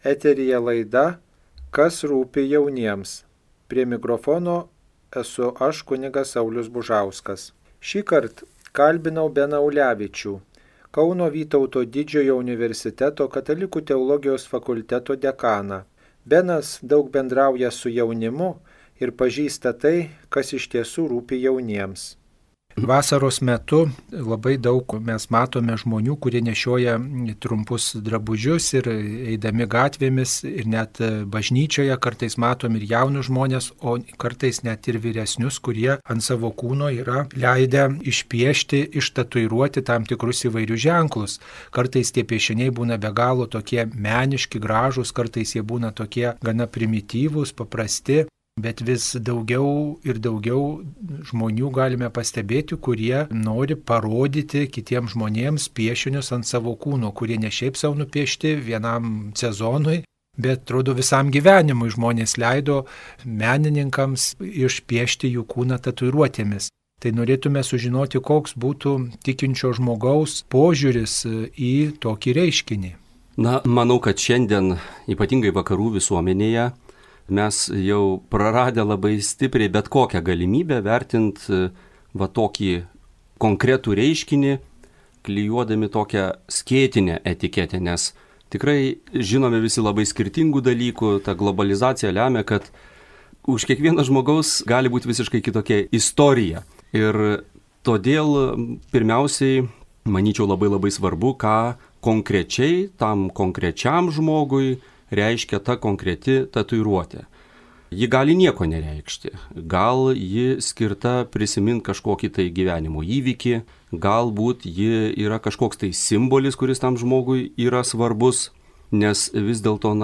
Eteryje laida Kas rūpi jauniems. Prie mikrofono esu aš, kunigas Saulius Bužauskas. Šįkart kalbinau Beną Ulevičių, Kauno Vytauto Didžiojo universiteto Katalikų teologijos fakulteto dekaną. Benas daug bendrauja su jaunimu ir pažįsta tai, kas iš tiesų rūpi jauniems. Vasaros metu labai daug mes matome žmonių, kurie nešioja trumpus drabužius ir eidami gatvėmis ir net bažnyčioje kartais matom ir jaunus žmonės, o kartais net ir vyresnius, kurie ant savo kūno yra leidę išpiešti, ištatuiruoti tam tikrus įvairius ženklus. Kartais tie piešiniai būna be galo tokie meniški, gražūs, kartais jie būna tokie gana primityvūs, paprasti. Bet vis daugiau ir daugiau žmonių galime pastebėti, kurie nori parodyti kitiems žmonėms piešinius ant savo kūno, kurie ne šiaip savo nupiešti vienam sezonui, bet atrodo visam gyvenimui žmonės leido menininkams išpiešti jų kūną tatuiruotėmis. Tai norėtume sužinoti, koks būtų tikinčio žmogaus požiūris į tokį reiškinį. Manau, kad šiandien, ypatingai vakarų visuomenėje, mes jau praradę labai stipriai bet kokią galimybę vertinti tokį konkretų reiškinį, klijuodami tokią skėtinę etiketę, nes tikrai žinome visi labai skirtingų dalykų, ta globalizacija lemia, kad už kiekvieno žmogaus gali būti visiškai kitokia istorija. Ir todėl pirmiausiai, manyčiau, labai svarbu, ką konkrečiai tam konkrečiam žmogui reiškia ta konkreti tatuiruotė. Ji gali nieko nereikšti. Gal ji skirta prisiminti kažkokį tai gyvenimo įvykį, galbūt ji yra kažkoks tai simbolis, kuris tam žmogui yra svarbus, nes vis dėlto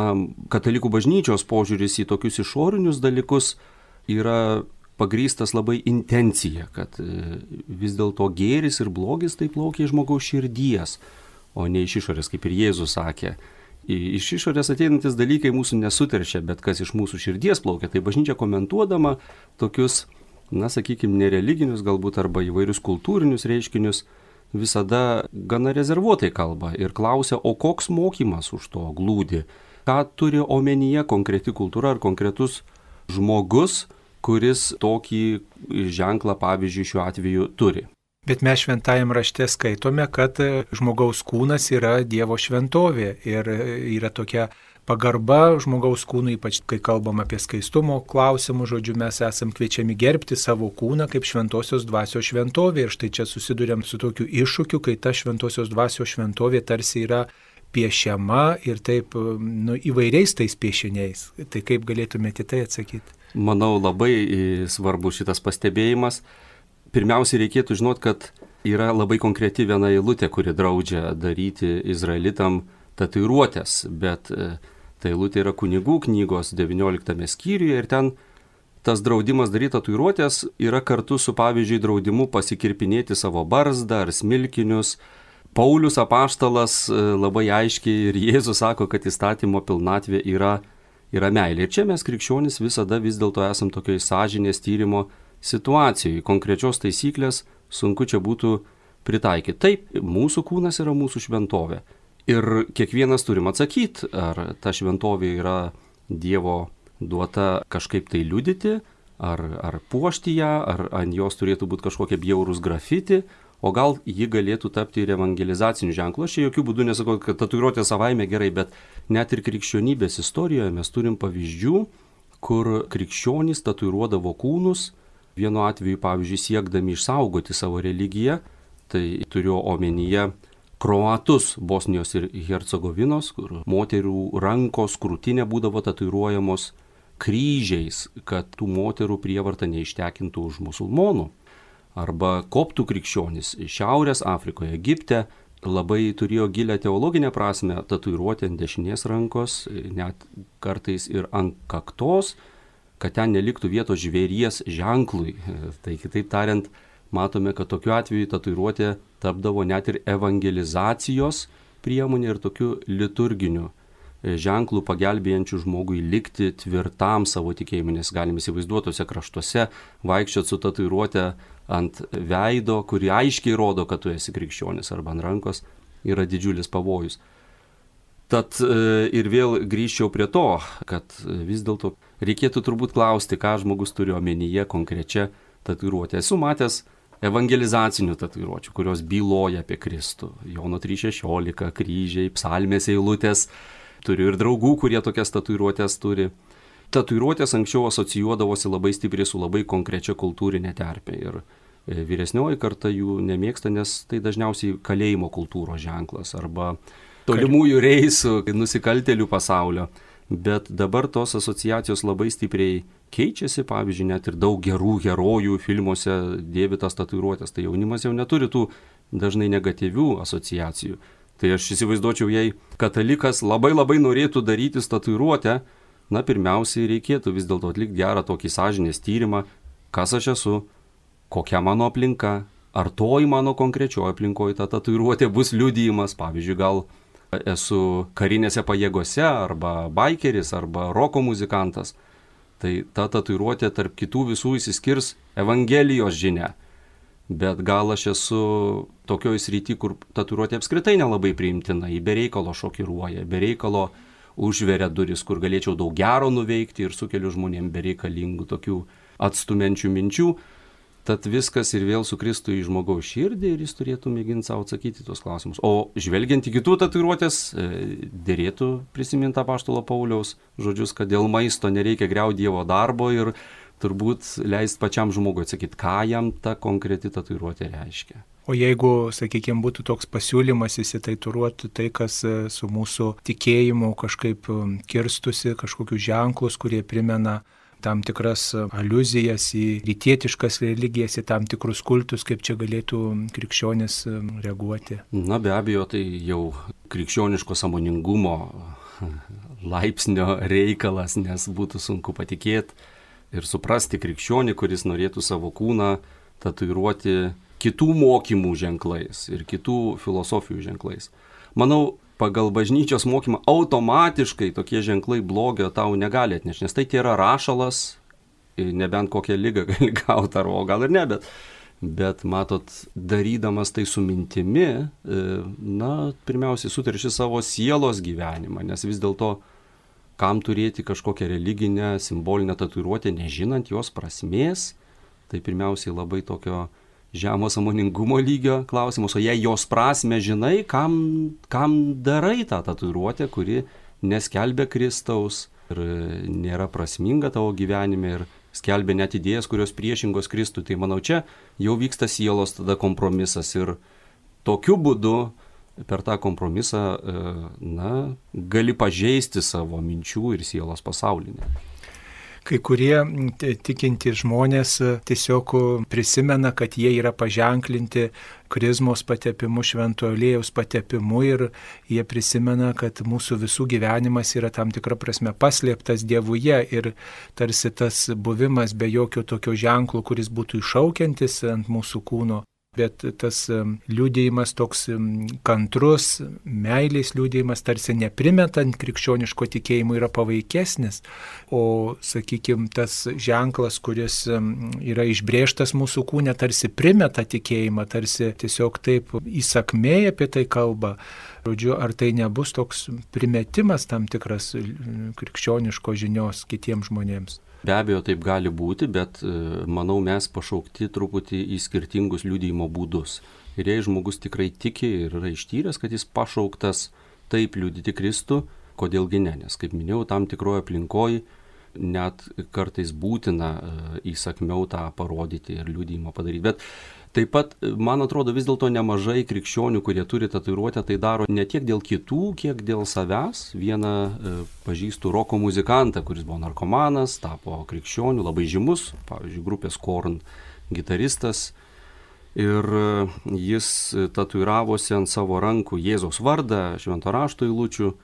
katalikų bažnyčios požiūris į tokius išorinius dalykus yra pagrįstas labai intencija, kad vis dėlto gėris ir blogis tai plaukia iš žmogaus širdies, o ne iš išorės, kaip ir Jėzus sakė. Iš išorės ateinantis dalykai mūsų nesuteršia, bet kas iš mūsų širdies plaukia, tai bažnyčia komentuodama tokius, sakykime, nereliginius galbūt arba įvairius kultūrinius reiškinius, visada gana rezervuotai kalba ir klausia, o koks mokymas už to glūdi, ką turi omenyje konkreti kultūra ar konkretus žmogus, kuris tokį ženklą, pavyzdžiui, šiuo atveju turi. Bet mes šventajam rašte skaitome, kad žmogaus kūnas yra Dievo šventovė ir yra tokia pagarba žmogaus kūnui, ypač kai kalbam apie skaistumo klausimus, žodžiu, mes esam kviečiami gerbti savo kūną kaip šventosios dvasios šventovė ir štai čia susiduriam su tokiu iššūkiu, kai ta šventosios dvasios šventovė tarsi yra piešiama ir taip įvairiais tais piešiniais. Tai kaip galėtumėte tai atsakyti? Manau, labai svarbus šitas pastebėjimas. Pirmiausia, reikėtų žinoti, kad yra labai konkreti viena eilutė, kuri draudžia daryti izraelitam tatuiruotės, bet ta eilutė yra Kunigų knygos 19 skyriuje ir ten tas draudimas daryti tatuiruotės yra kartu su, pavyzdžiui, draudimu pasikirpinėti savo barzdą ar smilkinius. Paulius apaštalas labai aiškiai ir Jėzus sako, kad įstatymo pilnatvė yra meilė. Ir čia mes krikščionys visada vis dėlto esam tokioj sąžinės tyrimo situacijoje, konkrečios taisyklės sunku čia būtų pritaikyti. Taip, mūsų kūnas yra mūsų šventovė. Ir kiekvienas turim atsakyti, ar ta šventovė yra Dievo duota kažkaip tai liudyti, ar puošti ją, ar ant jos turėtų būti kažkokie bjaurūs grafiti, o gal ji galėtų tapti ir evangelizaciniu ženklu. Aš čia jokių būdų nesakau, kad tatuiruotė savaime gerai, bet net ir krikščionybės istorijoje mes turim pavyzdžių, kur krikščionys tatuiruodavo kūnus, vienu atveju, pavyzdžiui, siekdami išsaugoti savo religiją, tai turiu omenyje kroatus Bosnijos ir Hercegovinos, kur moterų rankos, krūtinė būdavo tatuiruojamos kryžiais, kad tų moterų prievarta neištekintų už musulmonų. Arba koptų krikščionys Šiaurės Afrikoje, Egipte labai turėjo gilią teologinę prasme tatuiruoti ant dešinės rankos, net kartais ir ant kaktos, kad ten neliktų vietos žvėries ženklui. Tai kitaip tariant, matome, kad tokiu atveju tatuiruotė tapdavo net ir evangelizacijos priemonė ir tokiu liturginiu ženklų pagelbėjančių žmogui likti tvirtam savo tikėjimu, nes galime įsivaizduoti tose kraštuose vaikščioti su tatuiruotė ant veido, kuri aiškiai rodo, kad tu esi krikščionis, arba ant rankos yra didžiulis pavojus. Tad ir vėl grįžčiau prie to, kad vis dėlto reikėtų turbūt klausti, ką žmogus turi omenyje konkrečia tatuiruotė. Esu matęs evangelizacinių tatuiruočių, kurios byloja apie Kristų. Jono 3:16, kryžiai, psalmės eilutės. Turiu ir draugų, kurie tokias tatuiruotės turi. Tatuiruotės anksčiau asocijuodavosi labai stipriai su labai konkrečia kultūrinė terpė. Ir vyresnioji karta jų nemėgsta, nes tai dažniausiai kalėjimo kultūros ženklas arba tolimųjų reisų, nusikaltėlių pasaulio. Bet dabar tos asociacijos labai stipriai keičiasi, pavyzdžiui, net ir daug gerų herojų filmuose dėvi tas tatuiruotės. Tai jaunimas jau neturi tų dažnai negatyvių asociacijų. Tai aš įsivaizduočiau, jei katalikas labai norėtų darytis tatuiruotę, pirmiausiai reikėtų vis dėlto atlikti gerą tokį sąžinės tyrimą, kas aš esu, kokia mano aplinka, ar toj mano konkrečioje aplinkoje ta tatuiruotė bus liudijimas, pavyzdžiui, gal esu karinėse pajėgose, arba baikeris, arba roko muzikantas. Tai ta tatuiruotė tarp kitų visų išsiskirs Evangelijos žinia. Bet gal aš esu tokioj srity, kur tatuiruotė apskritai nelabai priimtina, ji be reikalo šokiruoja, be reikalo užveria duris, kur galėčiau daug gero nuveikti ir sukeliu žmonėm bereikalingų tokių atstumiančių minčių. Tad viskas ir vėl sukristų į žmogaus širdį ir jis turėtų mėginti savo atsakyti tuos klausimus. O žvelgiant į kitų tatuiruotės, dėrėtų prisiminti apaštalo Pauliaus žodžius, kad dėl maisto nereikia griauti Dievo darbo ir turbūt leisti pačiam žmogui atsakyti, ką jam ta konkreti tatuiruotė reiškia. O jeigu, sakykime, būtų toks pasiūlymas įsitatuiruoti tai, kas su mūsų tikėjimu kažkaip kirstusi, kažkokius ženklus, kurie primena tam tikras aliuzijas į rytietiškas religijas, į tam tikrus kultus, kaip čia galėtų krikščionis reaguoti? Be abejo, tai jau krikščioniško sąmoningumo laipsnio reikalas, nes būtų sunku patikėti ir suprasti krikščionį, kuris norėtų savo kūną tatuiruoti kitų mokymų ženklais ir kitų filosofijų ženklais. Manau, pagal bažnyčios mokymą automatiškai tokie ženklai blogio tau negali atnešti, nes tai yra rašalas, nebent kokią ligą gali gauti, o gal ir ne, bet matot, darydamas tai su mintimi, pirmiausiai suterši savo sielos gyvenimą, nes vis dėlto kam turėti kažkokią religinę, simbolinę tatuiruotę, nežinant jos prasmės, tai pirmiausiai labai tokio žemo sąmoningumo lygio klausimus, o jei jos prasme žinai, kam darai tą tatuiruotę, kuri neskelbia Kristaus ir nėra prasminga tavo gyvenime ir skelbia net idėjas, kurios priešingos Kristui, tai manau, čia jau vyksta sielos tada kompromisas ir tokiu būdu per tą kompromisą gali pažeisti savo minčių ir sielos pasaulinę. Kai kurie tikinti žmonės tiesiog prisimena, kad jie yra paženklinti krizmos patepimu, švento aliejaus patepimu ir jie prisimena, kad mūsų visų gyvenimas yra tam tikra prasme paslėptas Dievuje ir tarsi tas buvimas be jokio tokio ženklo, kuris būtų iššaukiantis ant mūsų kūno. Bet tas liudijimas toks kantrus, meilės liudijimas, tarsi neprimetant krikščioniško tikėjimo yra pavaikesnis, o, sakykime, tas ženklas, kuris yra išbrėžtas mūsų kūne, tarsi primeta tikėjimą, tarsi tiesiog taip įsakmėj apie tai kalba. Žodžiu, ar tai nebus toks primetimas tam tikras krikščioniško žinios kitiems žmonėms? Be abejo, taip gali būti, bet manau, mes pašaukti truputį į skirtingus liudijimo būdus. Ir jei žmogus tikrai tiki ir yra ištyręs, kad jis pašauktas taip liudyti Kristų, kodėlgi ne, nes, kaip minėjau, tam tikroje aplinkoje net kartais būtina įsakmiau tą parodyti ir liudijimą padaryti. Bet taip pat, man atrodo, vis dėlto nemažai krikščionių, kurie turi tatuiruotę, tai daro ne tiek dėl kitų, kiek dėl savęs. Vieną pažįstu roko muzikantą, kuris buvo narkomanas, tapo krikščionių, labai žymus, pavyzdžiui, grupės Korn gitaristas. Ir jis tatuiravosi ant savo rankų Jėzaus vardą, švento rašto eilučių,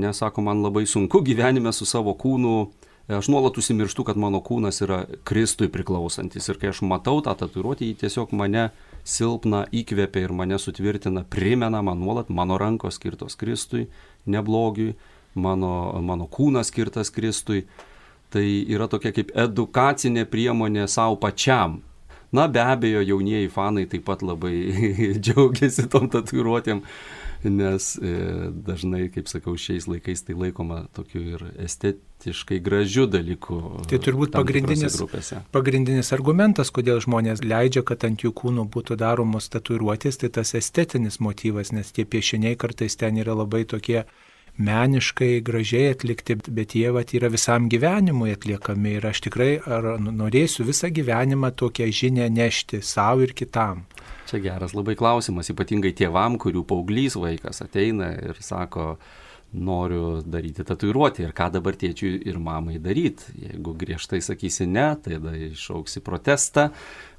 nes, sako, man labai sunku gyvenime su savo kūnu. Aš nuolat užsimirštu, kad mano kūnas yra Kristui priklausantis ir kai aš matau tą tatuiruotę, jį tiesiog mane silpna įkvepia ir mane sutvirtina, primena man nuolat, mano rankos skirtos Kristui, ne blogiui, mano kūnas skirtas Kristui. Tai yra tokia kaip edukacinė priemonė savo pačiam. Be abejo, jaunieji fanai taip pat labai džiaugiasi tom tatuiruotėm. nes dažnai, kaip sakau, šiais laikais tai laikoma tokiu ir estetiškai gražiu dalyku. Tai turbūt pagrindinis argumentas, kodėl žmonės leidžia, kad ant jų kūnų būtų daromos tatuiruotės, tai tas estetinis motyvas, nes tie piešiniai kartais ten yra labai tokie meniškai, gražiai atlikti, bet jie yra visam gyvenimui atliekami ir aš tikrai norėsiu visą gyvenimą tokią žinią nešti savo ir kitam. Čia geras labai klausimas, ypatingai tėvam, kurių paauglys vaikas ateina ir sako, noriu daryti tatuiruotę ir ką dabar tėčiui ir mamai daryti. Jeigu griežtai sakysi ne, tai tada iššauksi protestą,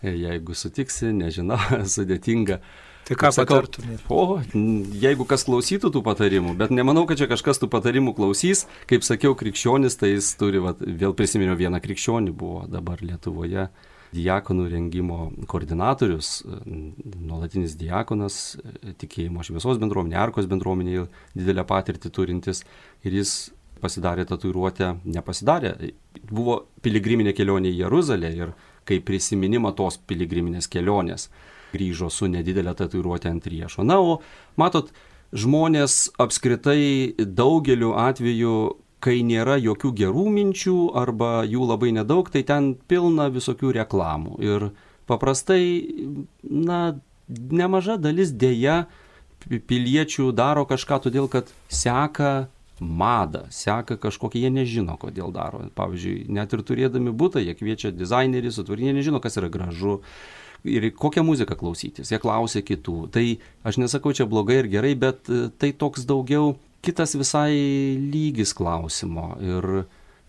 jeigu sutiksi, nežinau, sudėtinga. Tai ką patartumėte? Jeigu kas klausytų tų patarimų, bet nemanau, kad čia kažkas tų patarimų klausys. Kaip sakiau, krikščionis, tai jis turi, vėl prisiminiau vieną krikščionį, buvo dabar Lietuvoje diakonų rengimo koordinatorius, nuolatinis diakonas, tikėjimo šviesos bendruomenė, Arkos bendruomenėje didelę patirtį turintis ir jis pasidarė tatuiruotę, buvo piligriminė kelionė į Jeruzalę ir kaip prisiminimą tos piligriminės kelionės grįžo su nedidelė tatuiruotė ant riešo. Na, o matot, žmonės apskritai daugeliu atveju, kai nėra jokių gerų minčių arba jų labai nedaug, tai ten pilna visokių reklamų. Ir paprastai, nemaža dalis dėja piliečių daro kažką todėl, kad seka madą, seka kažkokie, jie nežino, kodėl daro. Pavyzdžiui, net ir turėdami butą, jie kviečia dizainerį, jie nežino, kas yra gražu. Ir kokią muziką klausytis, jie klausia kitų. Tai aš nesakau čia blogai ir gerai, bet tai toks daugiau kitas visai lygis klausimo. Ir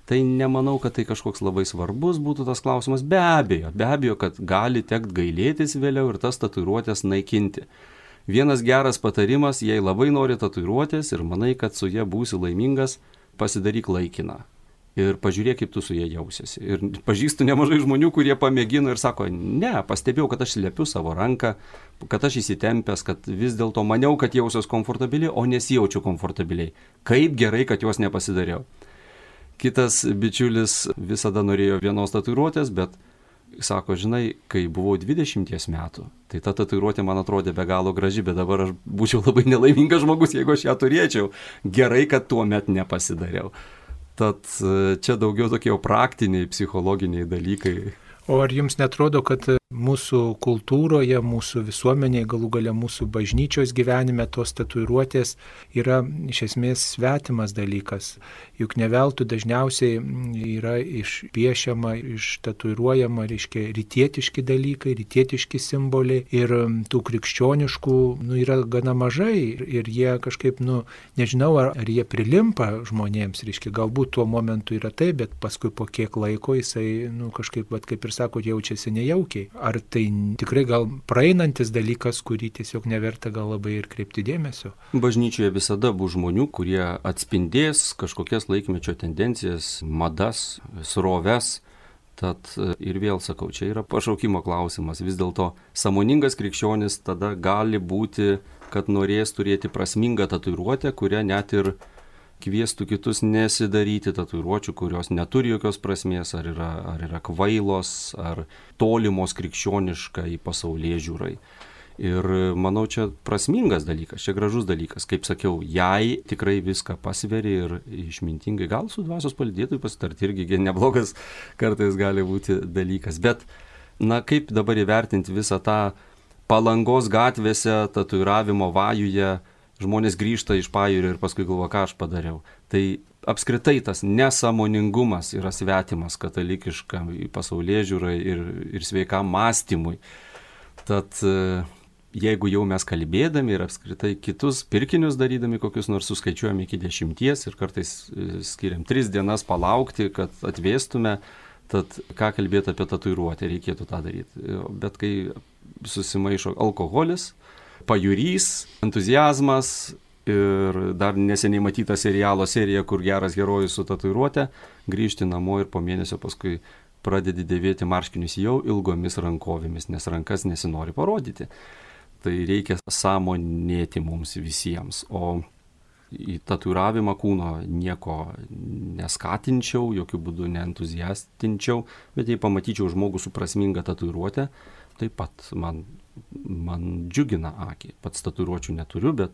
tai nemanau, kad tai kažkoks labai svarbus būtų tas klausimas. Be abejo, kad gali tekt gailėtis vėliau ir tas tatuiruotės naikinti. Vienas geras patarimas, jei labai nori tatuiruotės ir manai, kad su jie būsi laimingas, pasidaryk laikiną. Ir pažiūrėk, kaip tu su jie jausiesi. Ir pažįstu nemažai žmonių, kurie pamėgino ir sako, ne, pastebėjau, kad aš slepiu savo ranką, kad aš įsitempęs, kad vis dėlto maniau, kad jausiuos komfortabiliai, o nesijaučiu komfortabiliai. Kaip gerai, kad juos nepasidariau. Kitas bičiulis visada norėjo vienos tatuiruotės, bet sako, žinai, kai buvau 20 metų, tai ta tatuiruotė man atrodė be galo graži, bet dabar aš būčiau labai nelaimingas žmogus, jeigu aš ją turėčiau. Gerai, kad tuo met nepasidariau. Tad čia daugiau tokie praktiniai, psichologiniai dalykai. O ar jums netrodo, kad mūsų kultūroje, mūsų visuomenėje, galų gale mūsų bažnyčios gyvenime tos tatuiruotės yra iš esmės svetimas dalykas? Juk ne veltui dažniausiai yra išpiešiama, ištatuiruojama, reiškia, rytietiški dalykai, rytietiški simboliai ir tų krikščioniškų yra gana mažai ir jie kažkaip, nežinau, ar jie prilimpa žmonėms, reiškia, galbūt tuo momentu yra tai, bet paskui po kiek laiko jisai, kažkaip, kaip ir sako, jaučiasi nejaukiai. Ar tai tikrai gal praeinantis dalykas, kurį tiesiog neverta gal labai ir kreipti dėmesio? Bažnyčioje visada bus žmonių, kurie atspindės kažkokias laikmečio tendencijas, madas, sroves. Tad ir vėl sakau, čia yra pašaukimo klausimas. Vis dėlto sąmoningas krikščionis tada gali būti, kad norės turėti prasmingą tatuiruotę, kurią net ir kviestų kitus nesidaryti tatuiruočių, kurios neturi jokios prasmės, ar yra kvailos, ar tolimos krikščioniškai pasaulėžiūrai. Ir manau, čia prasmingas dalykas, čia gražus dalykas. Kaip sakiau, jei tikrai viską pasveri ir išmintingai, gal su dvasios palydėtojui pasitarti irgi neblogas kartais gali būti dalykas. Bet, kaip dabar įvertinti visą tą Palangos gatvėse tatuiravimo vajuje, žmonės grįžta iš pajūrio ir paskui galvoja, ką aš padariau. Tai apskritai tas nesąmoningumas yra svetimas katalikiškam pasaulėžiūrai ir sveikam mąstymui. Tad jeigu jau mes kalbėdami ir apskritai kitus pirkinius darydami, kokius nors suskaičiuojame iki 10 ir kartais skiriam 3 dienas palaukti, kad atvėstume, tad ką kalbėti apie tatuiruotę, reikėtų tą daryti. Bet kai susimaišo alkoholis, pajūrys, entuziazmas ir dar neseniai matyta serialo serija, kur geras herojus su tatuiruote, grįžti namo ir po mėnesio paskui pradedi dėvėti marškinius jau ilgomis rankovėmis, nes rankas nesinori parodyti. Tai reikia sąmonėti mums visiems. O į tatuiravimą kūno nieko neskatinčiau, jokių būdų neentuziastinčiau, bet jei pamatyčiau žmogų su prasminga tatuiruote, taip pat man džiugina akį. Pats tatuiruočių neturiu, bet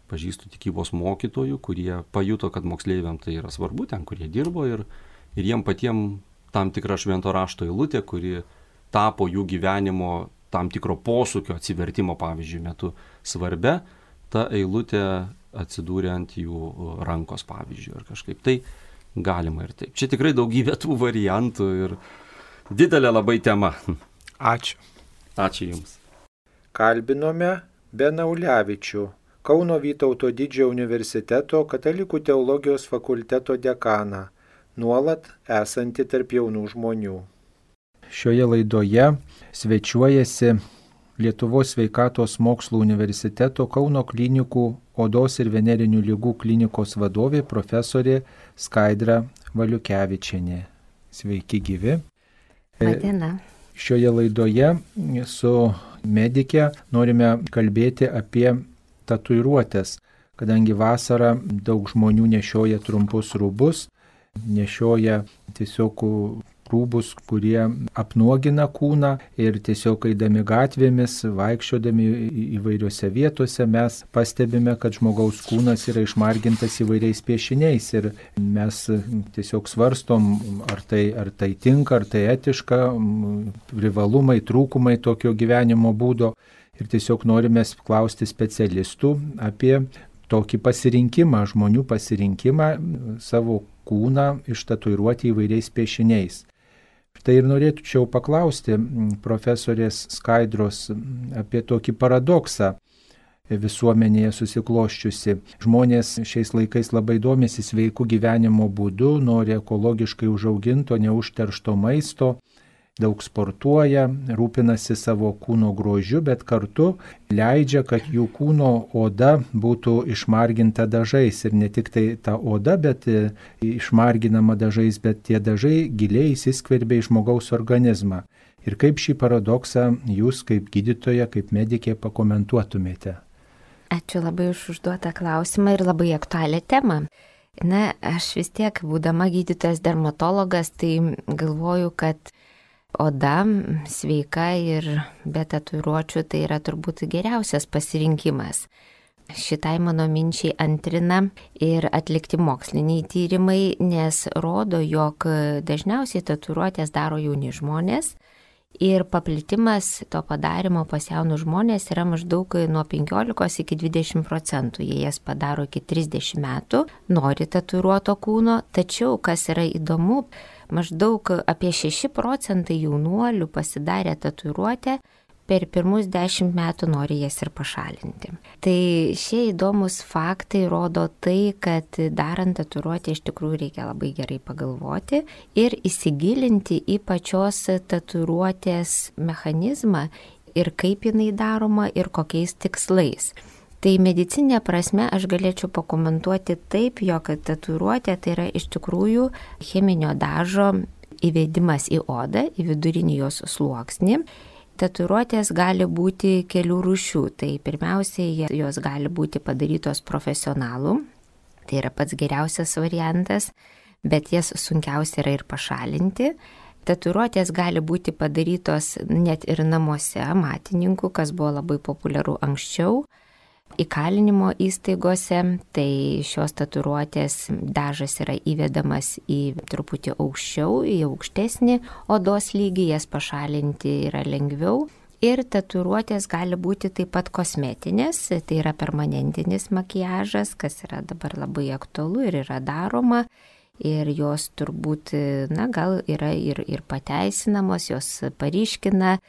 pažįstu tikybos mokytojų, kurie pajuto, kad moksleiviam tai yra svarbu, ten, kurie dirbo ir jiem patiem tam tikra švento rašto eilutė, kuri tapo jų gyvenimo tam tikro posūkio atsivertimo, pavyzdžiui, metu svarbia, ta eilutė atsidūrė ant jų rankos, pavyzdžiui, ar kažkaip. Tai galima ir taip. Čia tikrai daugybė tų variantų ir didelė labai tema. Ačiū. Ačiū Jums. Kalbinome Beną Ulevičių, Kauno Vytauto Didžiojo universiteto Katalikų teologijos fakulteto dekaną, nuolat esantį tarp jaunų žmonių. Šioje laidoje svečiuojasi Lietuvos sveikatos mokslų universiteto Kauno klinikų odos ir venerinių ligų klinikos vadovė profesorė Skaidra Valiukevičienė. Sveiki gyvi. Diena. Šioje laidoje su medike norime kalbėti apie tatuiruotes, kadangi vasarą daug žmonių nešioja trumpus rūbus, nešioja tiesiog rūbus, kurie apnuogina kūną ir tiesiog eidami gatvėmis, vaikščiodami įvairiose vietose mes pastebime, kad žmogaus kūnas yra išmargintas įvairiais piešiniais ir mes tiesiog svarstom, ar tai tinka, ar tai etiška, privalumai, trūkumai tokio gyvenimo būdo ir tiesiog norime klausti specialistų apie tokį pasirinkimą, žmonių pasirinkimą savo kūną ištatuiruoti įvairiais piešiniais. Tai ir norėčiau paklausti profesorės Skaidros apie tokį paradoksą visuomenėje susikloščiusi. Žmonės šiais laikais labai domisi sveikų gyvenimo būdu, nori ekologiškai užauginto, neužteršto maisto, daug sportuoja, rūpinasi savo kūno grožiu, bet kartu leidžia, kad jų kūno oda būtų išmarginta dažais. Ir ne tik tai ta oda, bet išmarginama dažais, bet tie dažai giliai įsiskverbia į žmogaus organizmą. Ir kaip šį paradoksą jūs kaip gydytoja, kaip medikė pakomentuotumėte? Ačiū labai už užduotą klausimą ir labai aktualią temą. Na, aš vis tiek, būdama gydytojas dermatologas, tai galvoju, kad oda sveika ir be tatuiruočių tai yra turbūt geriausias pasirinkimas. Šitai mano minčiai antrina ir atlikti moksliniai tyrimai, nes rodo, jog dažniausiai tatuiruotės daro jauni žmonės ir paplitimas to padarimo pas jaunus žmonės yra maždaug nuo 15 iki 20%. Jie jas padaro iki 30 metų, nori tatuiruoto kūno, tačiau kas yra įdomu, maždaug apie 6% jaunuolių pasidarę tatuiruotę per pirmus 10 metų nori jas ir pašalinti. Tai šie įdomus faktai rodo tai, kad darant tatuiruotę iš tikrųjų reikia labai gerai pagalvoti ir įsigilinti į pačios tatuiruotės mechanizmą ir kaip jinai daroma ir kokiais tikslais. Tai medicinė prasme aš galėčiau pakomentuoti taip, jog tatuiruotė tai yra iš tikrųjų cheminio dažo įvedimas į odą, į vidurinį jos sluoksnį. Tatuiruotės gali būti kelių rūšių. Tai pirmiausiai jos gali būti padarytos profesionalų, tai yra pats geriausias variantas, bet jas sunkiausia yra ir pašalinti. Tatuiruotės gali būti padarytos net ir namuose matininkų, kas buvo labai populiaru anksčiau. Įkalinimo įstaigose, tai šios tatuiruotės dažas yra įvedamas į truputį aukščiau, į aukštesnį odos lygį, jas pašalinti yra lengviau. Ir tatuiruotės gali būti taip pat kosmetinės, tai yra permanentinis makiažas, kas yra dabar labai aktualu ir yra daroma. Ir jos turbūt, gal yra ir pateisinamos, jos paryškina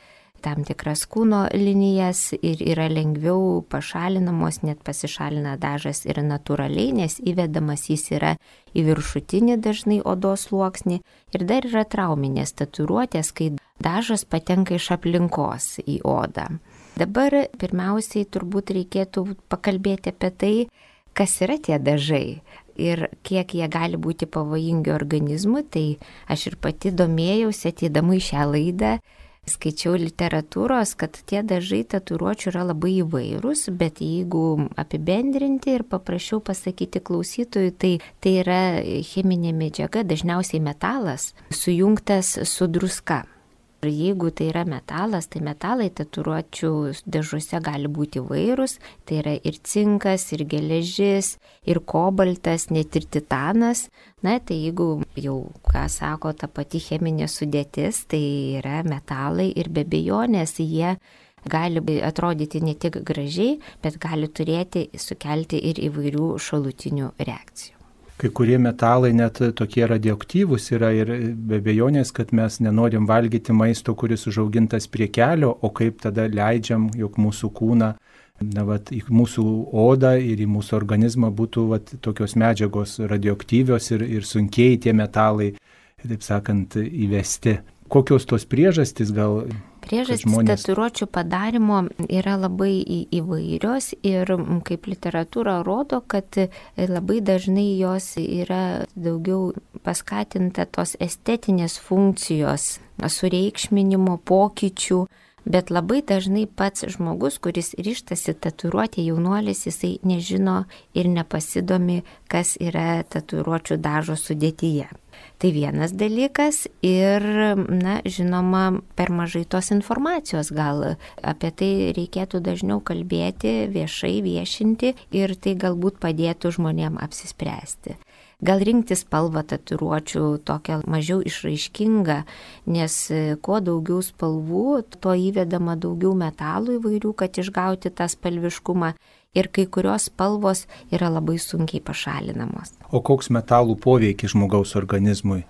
tam tikras kūno linijas ir yra lengviau pašalinamos, net pasišalina dažas ir natūraliai, nes įvedamas jis yra į viršutinį dažnai odos sluoksnį. Ir dar yra trauminės tatuiruotės, kai dažas patenka iš aplinkos į odą. Dabar pirmiausiai turbūt reikėtų pakalbėti apie tai, kas yra tie dažai ir kiek jie gali būti pavojingi organizmui. Tai aš ir pati domėjausi ateidama į šią laidą. Skaičiau literatūros, kad tie dažai tatuiruočių yra labai įvairūs, bet jeigu apibendrinti ir paprašiau pasakyti klausytojui, tai yra cheminė medžiaga, dažniausiai metalas, sujungtas su druska. Ir jeigu tai yra metalas, tai metalai tatuiruočių dėžuose gali būti įvairūs. Tai yra ir cinkas, ir geležis, ir kobaltas, net ir titanas. Na, tai jeigu jau, ką sako ta pati cheminė sudėtis, tai yra metalai ir be abejonės jie gali atrodyti ne tik gražiai, bet gali sukelti ir įvairių šalutinių reakcijų. Kai kurie metalai net tokie radioaktyvūs yra ir be abejonės, kad mes nenorim valgyti maisto, kuris užaugintas prie kelio, o kaip tada leidžiam, jog mūsų kūną, į mūsų odą ir į mūsų organizmą būtų tokios medžiagos radioaktyvios ir sunkiai tie metalai, taip sakant, įvesti. Kokios tos priežastys gal? Priežastys tatuiruočių padarimo yra labai įvairios ir kaip literatūra rodo, kad labai dažnai jos yra daugiau paskatinta tos estetinės funkcijos, sureikšminimo, pokyčių, bet labai dažnai pats žmogus, kuris ryžtasi tatuiruoti, jaunuolis, jisai nežino ir nepasidomi, kas yra tatuiruočių dažo sudėtyje. Tai vienas dalykas ir, žinoma, per mažai tos informacijos, gal apie tai reikėtų dažniau kalbėti, viešai viešinti ir tai galbūt padėtų žmonėm apsispręsti. Gal rinkti spalvą tatuiruočių tokią mažiau išraiškingą, nes kuo daugiau spalvų, tuo įvedama daugiau metalų įvairių, kad išgauti tą spalviškumą. Ir kai kurios spalvos yra labai sunkiai pašalinamos. O koks metalų poveikis žmogaus organizmui?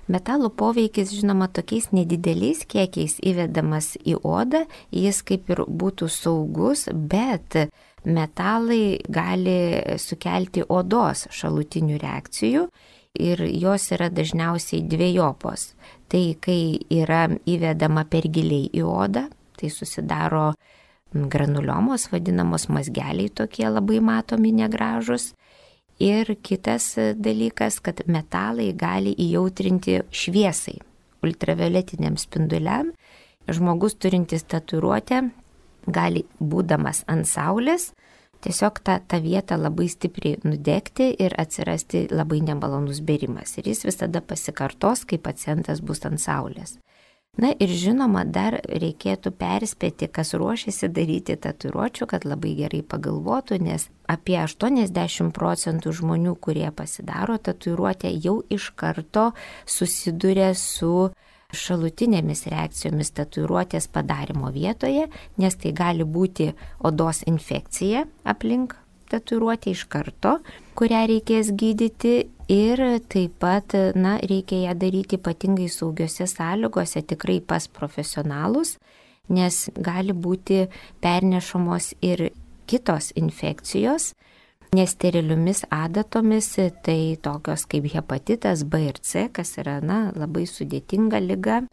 Metalų poveikis, žinoma, tokiais nedideliais kiekiais įvedamas į odą, jis kaip ir būtų saugus, bet metalai gali sukelti odos šalutinių reakcijų ir jos yra dažniausiai dvejopos. Tai kai yra įvedama per giliai į odą, tai susidaro granuliomos, vadinamos mazgeliai tokie labai matomi, negražus. Ir kitas dalykas, kad metalai gali įjautrinti šviesai, ultravioletiniam spinduliam. Žmogus turintis tatuiruotę gali, būdamas ant saulės, tiesiog tą vietą labai stipriai nudegti ir atsirasti labai nemalonus bėrimas. Ir jis visada pasikartos, kai pacientas bus ant saulės. Na ir žinoma, dar reikėtų perspėti, kas ruošiasi daryti tatuiruočių, kad labai gerai pagalvotų, nes apie 80% žmonių, kurie pasidaro tatuiruotę, jau iš karto susiduria su šalutinėmis reakcijomis tatuiruotės padarimo vietoje, nes tai gali būti odos infekcija aplink tatuiruotę iš karto, kurią reikės gydyti ir taip pat, reikia ją daryti ypatingai saugiose sąlygose, tikrai pas profesionalus, nes gali būti pernešamos ir kitos infekcijos, nesteriliomis adatomis, tai tokios kaip hepatitas B ir C, kas yra labai sudėtinga liga.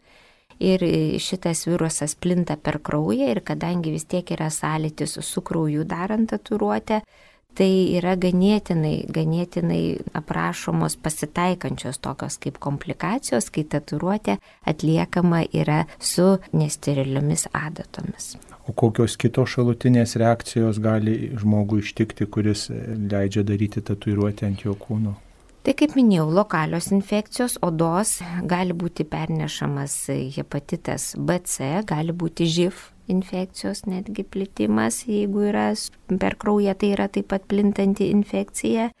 Ir šitas virusas plinta per kraują ir kadangi vis tiek yra sąlytis su krauju darant tatuiruotę, tai yra ganėtinai aprašomos pasitaikančios tokios kaip komplikacijos, kai tatuiruotė atliekama yra su nesteriliomis adatomis. O kokios kitos šalutinės reakcijos gali žmogui ištikti, kuris leidžia daryti tatuiruotę ant jo kūno? Tai kaip minėjau, lokalios infekcijos odos, gali būti pernešamas hepatitas BC, gali būti živ infekcijos netgi plitimas, jeigu yra per kraują, tai yra taip pat plintanti infekcija,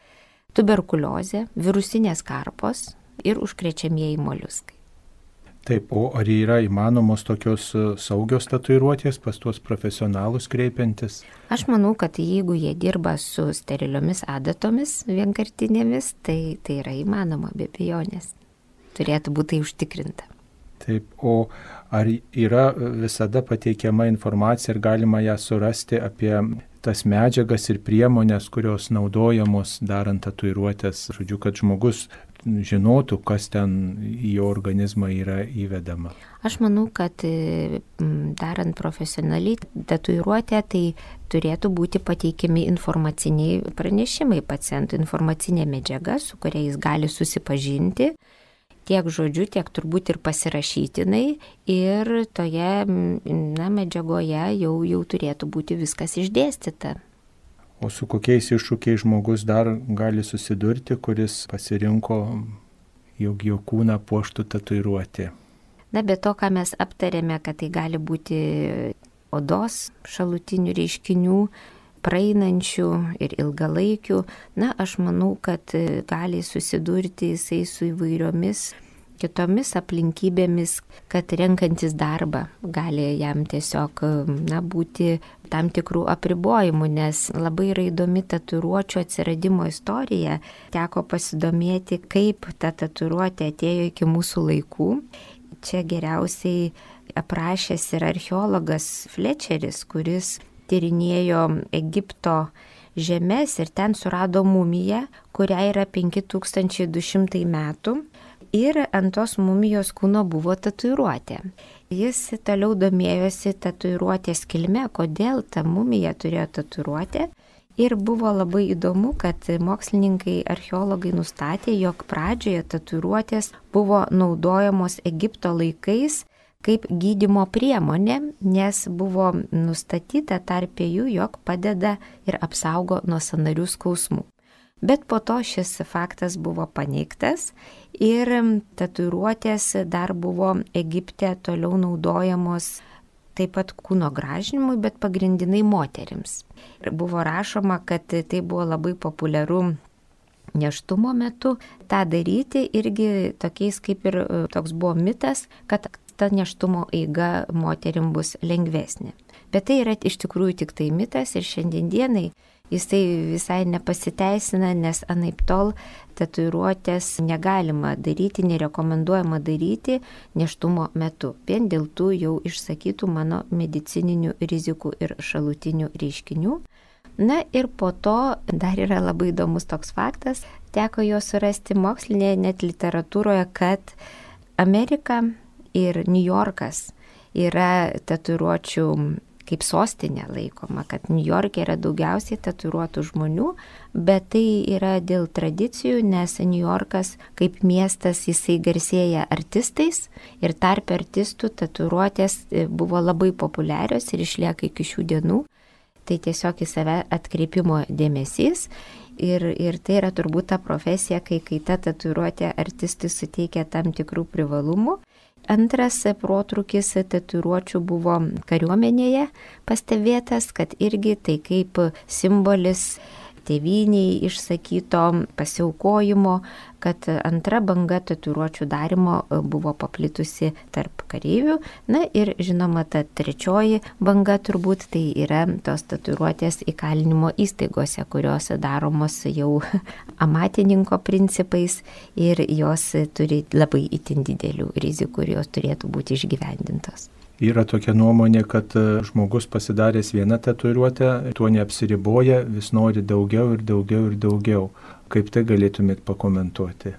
tuberkuliozė, virusinės karpos ir užkrečiamieji moliuskai. Taip, o ar yra įmanomos tokios saugios tatuiruotės pas tuos profesionalus kreipiantis? Aš manau, kad jeigu jie dirba su steriliomis adatomis vienkartinėmis, tai yra įmanoma, be abejonės. Turėtų būti užtikrinta. Taip, o ar yra visada pateikiama informacija ir galima ją surasti apie tas medžiagas ir priemonės, kurios naudojamos darant tatuiruotės, žodžiu, kad žmogus žinotų, kas ten į jo organizmą yra įvedama? Aš manau, kad darant profesionaliai tatuiruotę, tai turėtų būti pateikiami informaciniai pranešimai pacientų, informacinė medžiaga, su kuria jis gali susipažinti, tiek žodžiu, tiek turbūt ir pasirašytinai, ir toje medžiagoje jau turėtų būti viskas išdėstyta. O su kokiais iššūkiais žmogus dar gali susidurti, kuris pasirinko, jog jo kūną puoštų tatuiruotė? Na, be to, ką mes aptarėme, kad tai gali būti odos šalutinių reiškinių, praeinančių ir ilgalaikių, na, aš manau, kad gali susidurti jisai su įvairiomis kitomis aplinkybėmis, kad renkantis darbą gali jam tiesiog, na, būti tam tikrų apribojimų, nes labai yra įdomi tatuiruočių atsiradimo istorija. Teko pasidomėti, kaip ta tatuiruotė atėjo iki mūsų laikų. Čia geriausiai aprašęs yra archeologas Fletcheris, kuris tyrinėjo Egipto žemes ir ten surado mumiją, kuriai yra 5200 metų. Ir ant tos mumijos kūno buvo tatuiruotė. Jis toliau domėjosi tatuiruotės kilme, kodėl ta mumija turėjo tatuiruotę. Ir buvo labai įdomu, kad mokslininkai, archeologai nustatė, jog pradžioje tatuiruotės buvo naudojamos Egipto laikais kaip gydymo priemonė, nes buvo nustatyta tarp jų, jog padeda ir apsaugo nuo sąnarių skausmų. Bet po to šis faktas buvo paneigtas ir tatuiruotės dar buvo Egipte toliau naudojamos taip pat kūno gražinimui, bet pagrindinai moterims. Ir buvo rašoma, kad tai buvo labai populiaru nėštumo metu tą daryti, irgi tokiais kaip ir toks buvo mitas, kad ta nėštumo eiga moterim bus lengvesnė. Bet tai yra iš tikrųjų tik tai mitas ir šiandien dienai jisai visai nepasiteisina, nes anaiptol tatuiruotės negalima daryti, nerekomenduojama daryti nėštumo metu. Vien dėl tų jau išsakytų mano medicininių rizikų ir šalutinių reiškinių. Na ir po to dar yra labai įdomus toks faktas, teko jo surasti mokslinėje net literatūroje, kad Amerika ir New Yorkas yra tatuiruočių kaip sostinė laikoma, kad New York'e yra daugiausiai tatuiruotų žmonių, bet tai yra dėl tradicijų, nes New Yorkas kaip miestas jisai garsėja artistais ir tarp artistų tatuiruotės buvo labai populiarios ir išlieka iki šių dienų. Tai tiesiog į save atkreipimo dėmesys ir tai yra turbūt ta profesija, kai ta tatuiruotė artistui suteikia tam tikrų privalumų. Antras protrūkis tatuiruočių buvo kariuomenėje pastebėtas, kad irgi tai kaip simbolis tėvyniai išsakyto pasiaukojimo, kad antra banga tatuiruočių darimo buvo paplitusi tarp kareivių. Na ir žinoma, ta trečioji banga turbūt tai yra tos tatuiruotės įkalinimo įstaigose, kurios daromos jau amatininko principais ir jos turi labai itin didelių rizikų ir jos turėtų būti išgyvendintos. Yra tokia nuomonė, kad žmogus pasidaręs vieną tatuiruotę, tuo neapsiriboja, vis nori daugiau ir daugiau ir daugiau. Kaip tai galėtumėt pakomentuoti?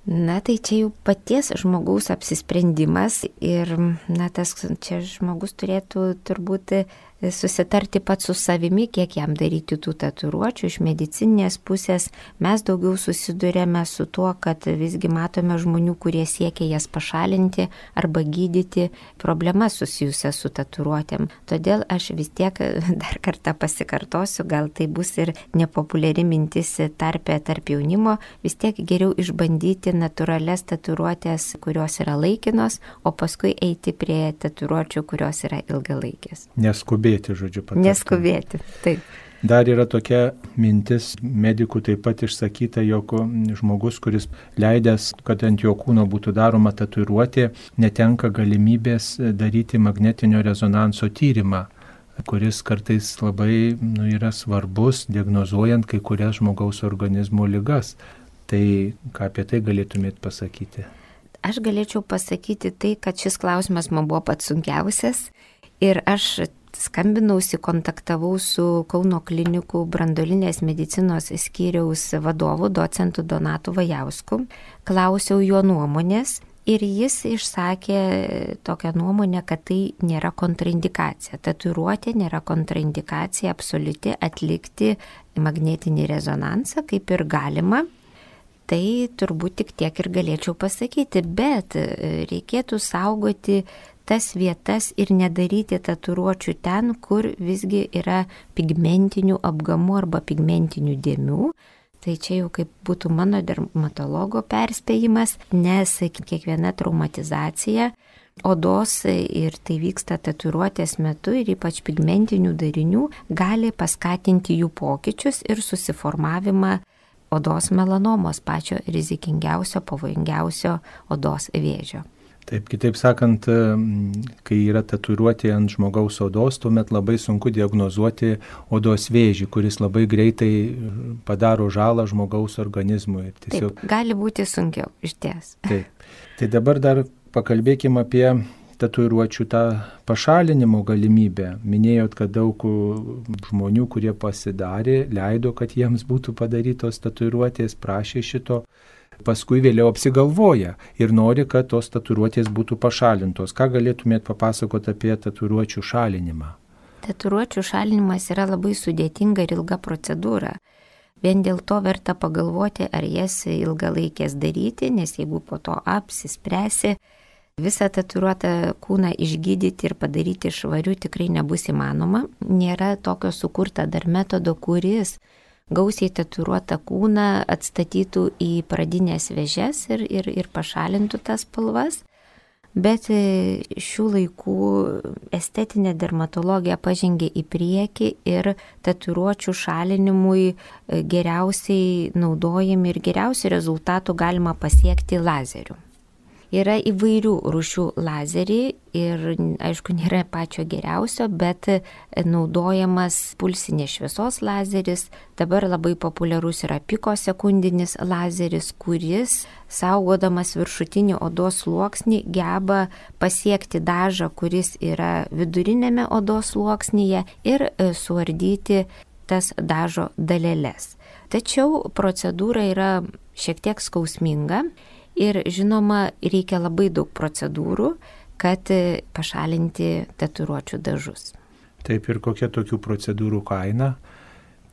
Na, tai čia jau paties žmogaus apsisprendimas ir, na, tas čia žmogus turėtų turbūt susitarti pats su savimi, kiek jam daryti tų tatuiruočių. Iš medicininės pusės mes daugiau susidurėme su tuo, kad visgi matome žmonių, kurie siekia jas pašalinti arba gydyti problemas susijusias su tatuiruotėm. Todėl aš vis tiek dar kartą pasikartosiu, gal tai bus ir nepopuliari mintis tarp jaunimo, vis tiek geriau išbandyti natūralias tatuiruotės, kurios yra laikinos, o paskui eiti prie tatuiruočių, kurios yra ilgalaikės. Neskubėti, žodžiu, patarti. Neskubėti, taip. Dar yra tokia mintis, medikų taip pat išsakyta, jog žmogus, kuris leidęs, kad ant jo kūno būtų daroma tatuiruotė, netenka galimybės daryti magnetinio rezonanso tyrimą, kuris kartais labai yra svarbus, diagnozuojant kai kurias žmogaus organizmo ligas. Tai ką apie tai galėtumėt pasakyti? Aš galėčiau pasakyti tai, kad šis klausimas man buvo pats sunkiausias ir aš skambinausi, kontaktavau su Kauno klinikų branduolinės medicinos skyriaus vadovu, docentu Donatu Vajausku, klausiau jo nuomonės ir jis išsakė tokią nuomonę, kad tai nėra kontraindikacija. Tatuiruotė nėra kontraindikacija absoliuti atlikti magnetinį rezonansą, kaip ir galima. Tai turbūt tik tiek ir galėčiau pasakyti, bet reikėtų saugoti tas vietas ir nedaryti tatuiruočių ten, kur visgi yra pigmentinių apgamų arba pigmentinių dėmių. Tai čia jau kaip būtų mano dermatologo perspėjimas, nes kiekviena traumatizacija odos ir tai vyksta tatuiruotės metu ir ypač pigmentinių darinių gali paskatinti jų pokyčius ir susiformavimą odos melanomos, pačio rizikingiausio, pavojingiausio odos vėžio. Taip, kitaip sakant, kai yra tatuiruotė ant žmogaus odos, tuomet labai sunku diagnozuoti odos vėžį, kuris labai greitai padaro žalą žmogaus organizmui. Tiesiog... Taip, gali būti sunkiau, išties. Taip. Tai dabar dar pakalbėkime apie tatuiruočių tą pašalinimo galimybę. Minėjot, kad daug žmonių, kurie pasidarė, leido, kad jiems būtų padarytos tatuiruotės, prašė šito. Paskui vėliau apsigalvoja ir nori, kad tos tatuiruotės būtų pašalintos. Ką galėtumėt papasakoti apie tatuiruočių šalinimą? Tatuiruočių šalinimas yra labai sudėtinga ir ilga procedūra. Vien dėl to verta pagalvoti, ar jas ilgalaikės daryti, nes jeigu po to apsispręsi, visą tatuiruotą kūną išgydyti ir padaryti švariu tikrai nebus įmanoma. Nėra tokio sukurta dar metodo, kuris gausiai tatuiruotą kūną atstatytų į pradinės vėžes ir pašalintų tas spalvas. Bet šių laikų estetinė dermatologija pažengė į priekį ir tatuiruočių šalinimui geriausiai naudojami ir geriausių rezultatų galima pasiekti lazeriu. Yra įvairių rūšių lazeriai ir, aišku, nėra pačio geriausio, bet naudojamas pulsinės šviesos lazeris. Dabar labai populiarus yra pikosekundinis lazeris, kuris, saugodamas viršutinį odos sluoksnį, geba pasiekti dažą, kuris yra vidurinėme odos sluoksnyje ir suardyti tas dažo daleles. Tačiau procedūra yra šiek tiek skausminga. Ir žinoma, reikia labai daug procedūrų, kad pašalinti tatuiruočių dažus. Taip, ir kokia tokių procedūrų kaina?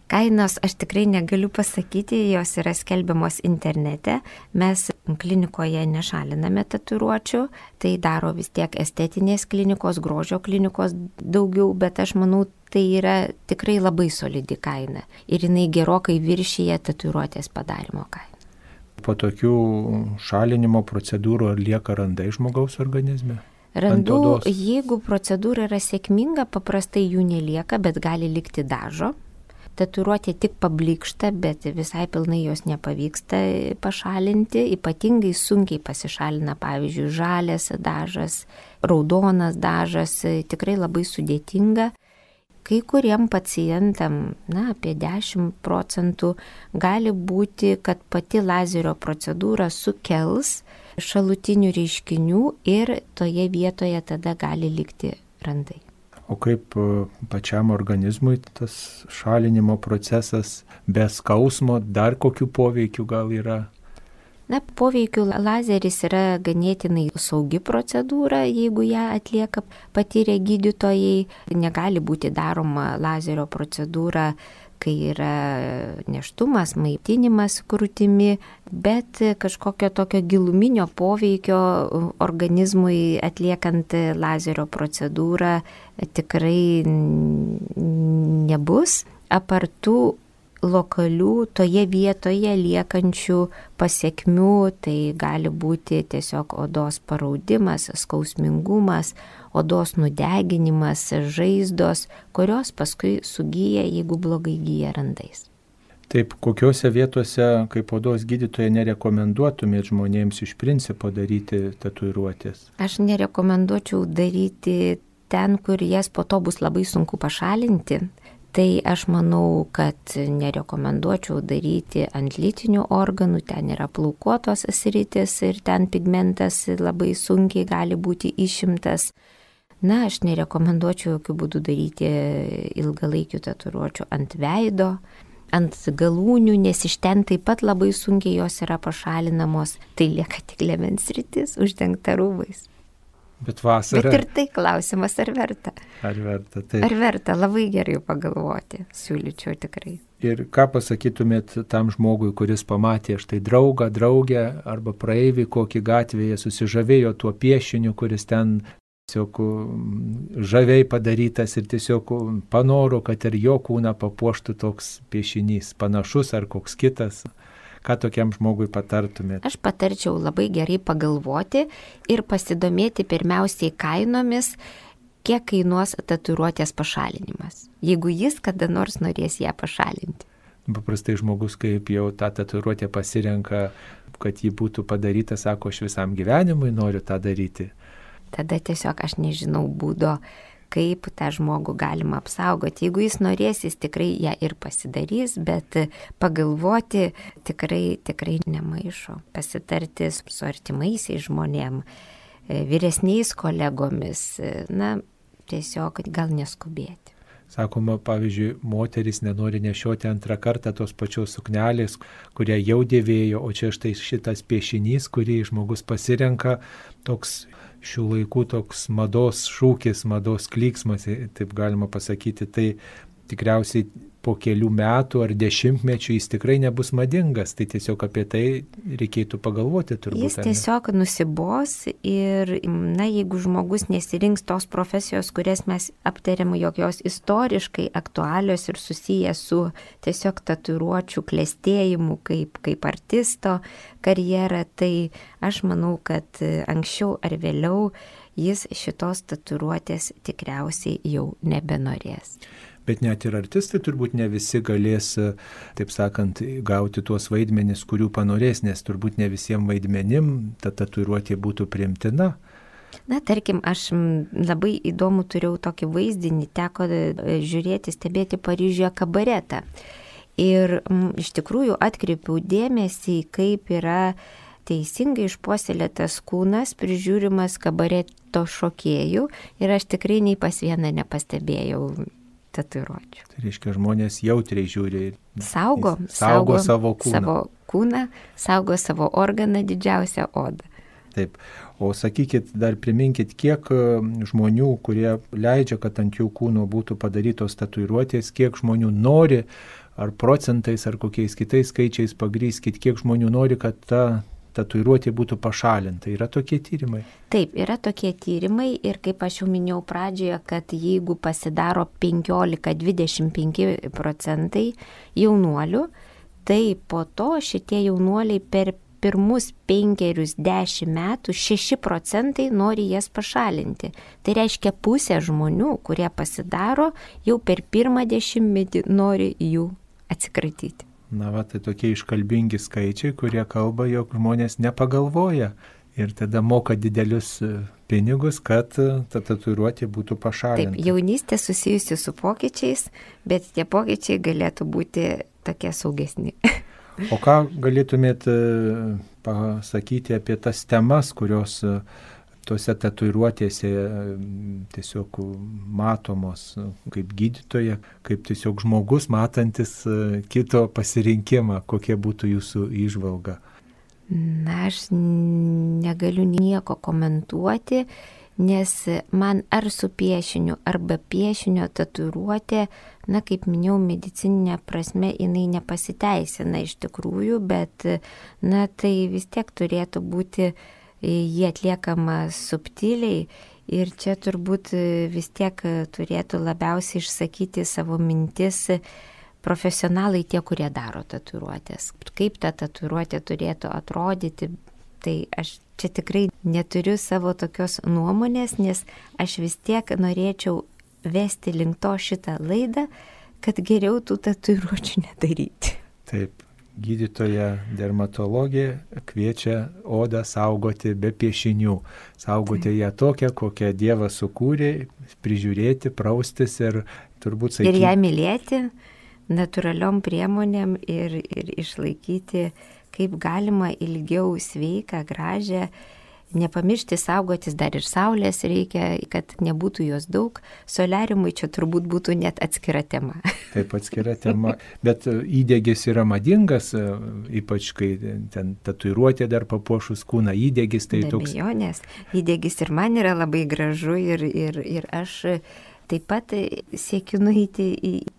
Kainos aš tikrai negaliu pasakyti, jos yra skelbiamos internete. Mes klinikoje nešaliname tatuiruočių, tai daro vis tiek estetinės klinikos, grožio klinikos daugiau, bet aš manau, tai yra tikrai labai solidi kaina. Ir jinai gerokai viršyje tatuiruotės padarimo kainą. Po tokių šalinimo procedūrų ar lieka randai žmogaus organizme? Randų, jeigu procedūra yra sėkminga, paprastai jų nelieka, bet gali likti dažo. Tatuiruotė tik pablykšta, bet visai pilnai jos nepavyksta pašalinti. Ypatingai sunkiai pasišalina, pavyzdžiui, žalias dažas, raudonas dažas, tikrai labai sudėtinga. Kai kuriem pacientam, apie 10% gali būti, kad pati lazerio procedūra sukels šalutinių reiškinių ir toje vietoje tada gali likti randai. O kaip pačiam organizmui tas šalinimo procesas be skausmo, dar kokių poveikių gal yra? Poveikių lazeris yra ganėtinai saugi procedūra, jeigu ją atlieka patyrę gydytojai. Negali būti daroma lazerio procedūra, kai yra nėštumas, maitinimas krūtimi, bet kažkokio tokio giluminio poveikio organizmui atliekant lazerio procedūrą tikrai nebus. Apart tų lokalių toje vietoje liekančių pasekmių, tai gali būti tiesiog odos paraudimas, skausmingumas, odos nudeginimas, žaizdos, kurios paskui sugyja, jeigu blogai gyja randais. Taip, kokiuose vietose, kaip odos gydytoja, nerekomenduotumėt žmonėms iš principo daryti tatuiruotės? Aš nerekomenduočiau daryti ten, kur jas po to bus labai sunku pašalinti. Tai aš manau, kad nerekomenduočiau daryti ant lytinių organų, ten yra plaukuotos sritis ir ten pigmentas labai sunkiai gali būti išimtas. Aš nerekomenduočiau jokių būdų daryti ilgalaikių tatuiruočių ant veido, ant galūnių, nes iš ten taip pat labai sunkiai jos yra pašalinamos. Tai lieka tik liemens sritis uždengta rūbais. Bet vasarą. Bet ir tai klausimas, ar verta. Ar verta, taip. Ar verta, labai gerai pagalvoti, siūlyčiau tikrai. Ir ką pasakytumėt tam žmogui, kuris pamatė štai draugą, draugę arba praeivį kokį gatvėje susižavėjo tuo piešiniu, kuris ten tiesiog žaviai padarytas ir tiesiog panoro, kad ir jo kūną papuoštų toks piešinys, panašus ar koks kitas. Ką tokiam žmogui patartumėte? Aš patarčiau labai gerai pagalvoti ir pasidomėti pirmiausiai kainomis, kiek kainuos tatuiruotės pašalinimas, jeigu jis kada nors norės ją pašalinti. Paprastai žmogus, kaip jau tą tatuiruotę pasirenka, kad ji būtų padaryta, sako, aš visam gyvenimui noriu tą daryti. Tada tiesiog aš nežinau būdo, kaip tą žmogų galima apsaugoti. Jeigu jis norės, jis tikrai ją ir pasidarys, bet pagalvoti tikrai nemaišo. Pasitarti su artimaisiais žmonėm, vyresniais kolegomis, tiesiog gal neskubėti. Sakoma, pavyzdžiui, moteris nenori nešioti antrą kartą tos pačios suknelės, kurią jau dėvėjo, o čia štai šitas piešinys, kurį žmogus pasirenka, toks šių laikų toks mados šūkis, mados klyksmas, taip galima pasakyti, tai tikriausiai po kelių metų ar dešimtmečių jis tikrai nebus madingas, tai tiesiog apie tai reikėtų pagalvoti turbūt. Jis tiesiog nusibos ir, jeigu žmogus nesirinks tos profesijos, kurias mes aptarėm, jog jos istoriškai aktualios ir susiję su tiesiog tatuiruočių klestėjimu kaip artisto karjera, tai aš manau, kad anksčiau ar vėliau jis šitos tatuiruotės tikriausiai jau nebenorės. Bet net ir artistai turbūt ne visi galės, taip sakant, gauti tuos vaidmenis, kurių panorės, nes turbūt ne visiems vaidmenim ta tatuiruotė būtų priimtina. Tarkim, aš labai įdomu turėjau tokį vaizdinį, teko žiūrėti, stebėti Paryžiuje kabaretą. Ir iš tikrųjų atkreipiau dėmesį, kaip yra teisingai išpuoselėtas kūnas, prižiūrimas kabareto šokėjų, ir aš tikrai nei pas vieną nepastebėjau tatuiruočių. Tai reiškia, žmonės jautriai žiūri. Saugo savo kūną. Savo kūną, saugo savo organą, didžiausią odą. Taip. O sakykit, dar priminkit, kiek žmonių, kurie leidžia, kad ant jų kūno būtų padarytos tatuiruotės, kiek žmonių nori, ar procentais, ar kokiais kitais skaičiais pagrįskit, kiek žmonių nori, kad ta tatuiruotė būtų pašalinta. Yra tokie tyrimai? Taip, yra tokie tyrimai ir kaip aš jau minėjau pradžioje, kad jeigu pasidaro 15-25% jaunuolių, tai po to šitie jaunuoliai per pirmus 5-10 metų 6% nori jas pašalinti. Tai reiškia pusė žmonių, kurie pasidaro, jau per pirmą 10 nori jų atsikratyti. Tai tokie iškalbingi skaičiai, kurie kalba, jog žmonės nepagalvoja ir tada moka didelius pinigus, kad ta tatuiruotė būtų pašalinta. Taip, jaunystė susijusi su pokyčiais, bet tie pokyčiai galėtų būti tokie saugesni. O ką galėtumėt pasakyti apie tas temas, kurios tose tatuiruotėse tiesiog matomos kaip gydytoja, kaip tiesiog žmogus matantis kito pasirinkimą, kokia būtų jūsų įžvalga? Aš negaliu nieko komentuoti, nes man ar su piešiniu, ar be piešinio tatuiruotė, kaip minėjau, medicininė prasme jinai nepasiteisina iš tikrųjų, bet tai vis tiek turėtų būti jie atliekama subtiliai ir čia turbūt vis tiek turėtų labiausiai išsakyti savo mintis profesionalai tie, kurie daro tatuiruotės. Kaip ta tatuiruotė turėtų atrodyti, tai aš čia tikrai neturiu savo tokios nuomonės, nes aš vis tiek norėčiau vesti link to šitą laidą, kad geriau tų tatuiruočių nedaryti. Taip. Gydytoja dermatologė kviečia odą saugoti be piešinių. Saugoti ją tokią, kokią Dievas sukūrė, prižiūrėti, praustis ir turbūt sakyti. Ir ją mylėti natūraliom priemonėm ir išlaikyti kaip galima ilgiau sveiką, gražią. Nepamiršti saugotis, dar ir saulės reikia, kad nebūtų jos daug. Soliariumui čia turbūt būtų net atskira tema. Taip, atskira tema. Bet įdegis yra madingas, ypač kai ten tatuiruotė dar papuošus kūną įdegis. Tai be toks... abejonės. Įdegis ir man yra labai gražu ir aš Taip pat siekiu nueiti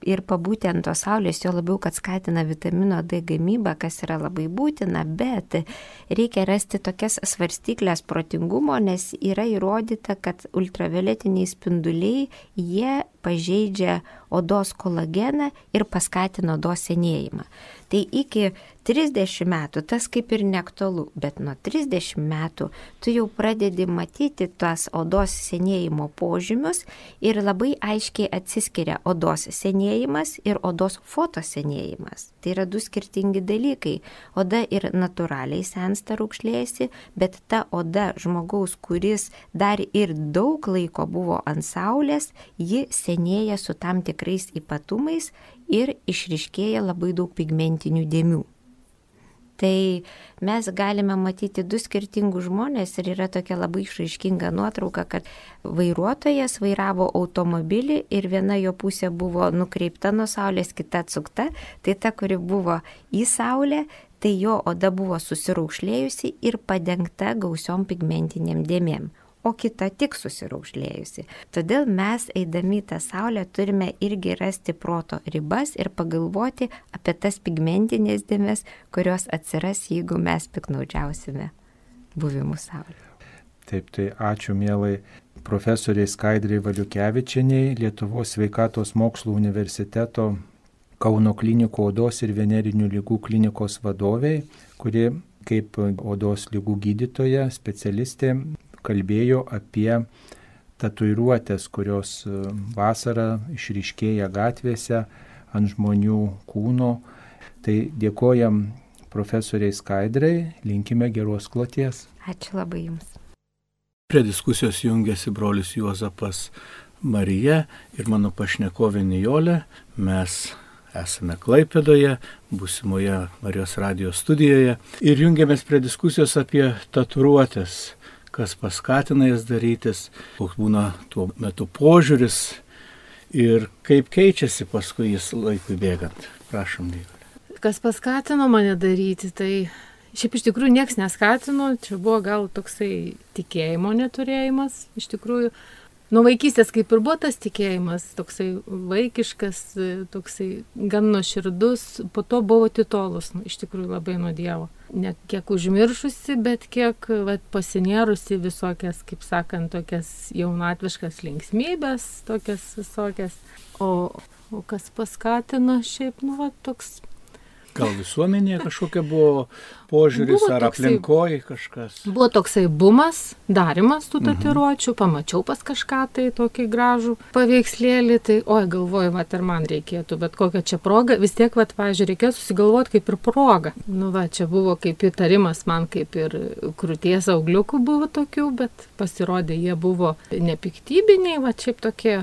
ir pabūti ant tos saulės, jo labiau, kad skatina vitamino D gamybą, kas yra labai būtina, bet reikia rasti tokias svarstyklės protingumo, nes yra įrodyta, kad ultravioletiniai spinduliai, jie pažeidžia odos kolageną ir paskatina odos senėjimą. Tai iki 30 metų tas kaip ir neaktualu, bet nuo 30 metų tu jau pradedi matyti tas odos senėjimo požymius ir labai aiškiai atsiskiria odos senėjimas ir odos fotosenėjimas. Tai yra du skirtingi dalykai. Oda ir natūraliai sensta, raukšlėjasi, bet ta oda žmogaus, kuris dar ir daug laiko buvo ant saulės, ji senėja su tam tikrais ypatumais ir išryškėja labai daug pigmentinių dėmių. Tai mes galime matyti du skirtingus žmonės ir yra tokia labai išraiškinga nuotrauka, kad vairuotojas vairavo automobilį ir viena jo pusė buvo nukreipta nuo saulės, kita atsukta, tai ta, kuri buvo į saulę, tai jo oda buvo susiraukšlėjusi ir padengta gausiom pigmentiniam dėmėm, o kita tik susiraukšlėjusi. Todėl mes, eidami į tą saulę, turime irgi rasti proto ribas ir pagalvoti apie tas pigmentinės dėmes, kurios atsiras, jeigu mes piknaudžiausime buvimu saulė. Taip, tai ačiū mielai profesoriai Skaidrai Valiukevičieniai, Lietuvos sveikatos mokslų universiteto Kauno klinikų odos ir venerinių lygų klinikos vadoviai, kuri kaip odos lygų gydytoja, specialistė, kalbėjau apie tatuiruotės, kurios vasarą išryškėja gatvėse ant žmonių kūno. Tai dėkojam profesoriai Skaidrai, linkime geros kloties. Ačiū labai Jums. Prie diskusijos jungiasi brolis Juozapas Marija ir mano pašnekovė Nijolė. Mes esame Klaipėdoje, būsimoje Marijos radijo studijoje ir jungiamės prie diskusijos apie tatuiruotės. Kas paskatina jas darytis, koks būna tuo metu požiūris ir kaip keičiasi paskui jis laikui bėgant. Prašom, Nijolė. Kas paskatino mane daryti, tai šiaip iš tikrųjų nieks neskatino, čia buvo gal toksai tikėjimo neturėjimas, iš tikrųjų. Nuo vaikystės kaip ir buvo tas tikėjimas, toksai vaikiškas, toksai gan nuoširdus, po to buvo titolus, iš tikrųjų labai nuo Dievo. Ne kiek užmiršusi, bet kiek pasinėrusi visokias, kaip sakant, tokias jaunatviškas linksmybės, tokias visokias. O kas paskatino šiaip, toks... Gal visuomenėje kažkokia buvo požiūris buvo ar aplinkoje kažkas? Buvo toksai bumas, darimas tų tatuiruočių, pamačiau pas kažką tai tokį gražų paveikslėlį, tai galvoju, ir man reikėtų, bet kokia čia proga, vis tiek, pavyzdžiui, reikėjo susigalvoti kaip ir proga. Čia buvo kaip įtarimas man, kaip ir krūties augliukų buvo tokių, bet pasirodė, jie buvo nepiktybiniai, šiaip tokie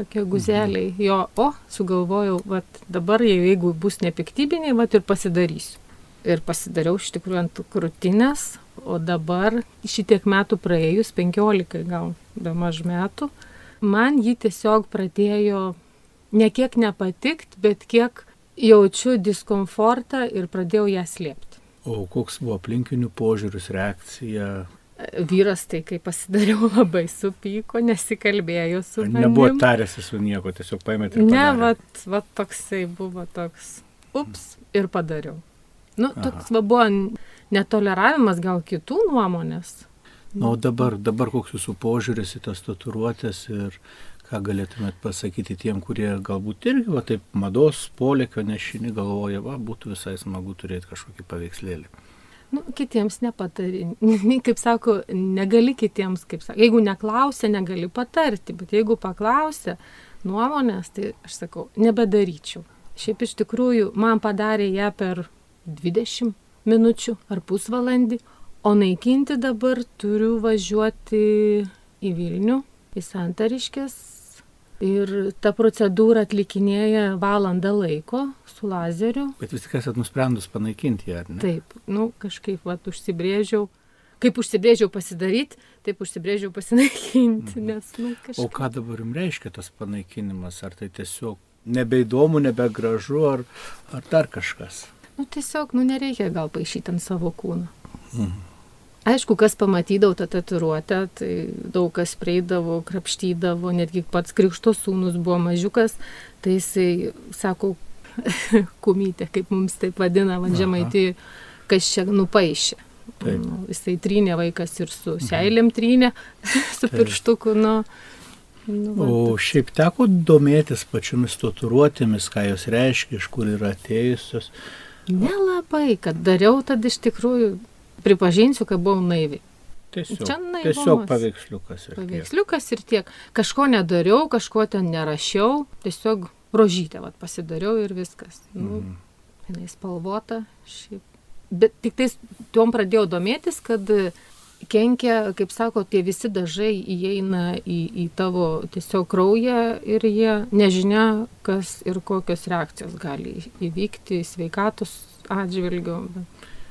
guzeliai. Sugalvojau, dabar jeigu bus nepiktybiniai, ir pasidarysiu. Ir pasidariau iš tikrųjų ant krūtinės, o dabar šitiek metų praėjus, 15 gal bemaž metų, man jį tiesiog pradėjo ne kiek nepatikti, bet kiek jaučiu diskomfortą ir pradėjau ją slėpti. O koks buvo aplinkinių požiūris, reakcija? Vyras tai, kai pasidariau, labai supyko, nesikalbėjo su manim. Nebuvo tarėsi su nieko, tiesiog paėmėt ir padarė? Ne, toksai buvo toks, ir padariau. Toks buvo netoleravimas gal kitų nuomonės. O dabar koks jūsų požiūris į tas tatuiruotės ir ką galėtumėt pasakyti tiem, kurie galbūt irgi taip mados polėkio nešini galvoja, būtų visai smagu turėti kažkokį paveikslėlį. Kitiems nepatari. Kaip sako, negali kitiems, jeigu neklausia, negali patarti, bet jeigu paklausia nuomonės, tai aš sakau, nebedaryčiau. Šiaip iš tikrųjų, man padarė ją per 20 minučių ar pusvalandį, o naikinti dabar turiu važiuoti į Vilnių, į Santariškes. Ir ta procedūra atlikinėja valandą laiko su lazeriu. Bet vis tik esat nusprendus panaikinti ją, ar ne? Taip, kažkaip užsibrėžiau. Kaip užsibrėžiau pasidaryti, taip užsibrėžiau pasinaikinti. Nes, kažkaip... O ką dabar jums reiškia tas panaikinimas? Ar tai tiesiog nebeįdomu, nebegražu, ar dar kažkas? Tiesiog, nereikia gal paišyti ant savo kūno. Aišku, kas pamatydavo tą tatuiruotę, tai daug kas prieidavo, krapštydavo, netgi pats Krikšto sūnus buvo mažiukas, tai jisai sako, kumytė, kaip mums taip vadina, Žemaitijoj, kas čia nupaišė. Jisai trynė vaikas ir su seilėm trynė, su pirštuku, O šiaip teko domėtis pačiomis tatuiruotėmis, ką jos reiškia, iš kur yra atėjusios? Nelabai, kad dariau, tad iš tikrųjų pripažinsiu, kad buvau naivi. Tiesiog paveiksliukas ir tiek. Paveiksliukas ir tiek. Kažko nedariau, kažko ten nerašiau, tiesiog rožytę pasidariau ir viskas. Jinai spalvota šiaip. Bet tik tais tuom pradėjau domėtis, kad kenkia, kaip sako, tie visi dažai įeina į tavo tiesiog kraują ir jie nežinia, kas ir kokios reakcijos gali įvykti sveikatos atžvilgiu.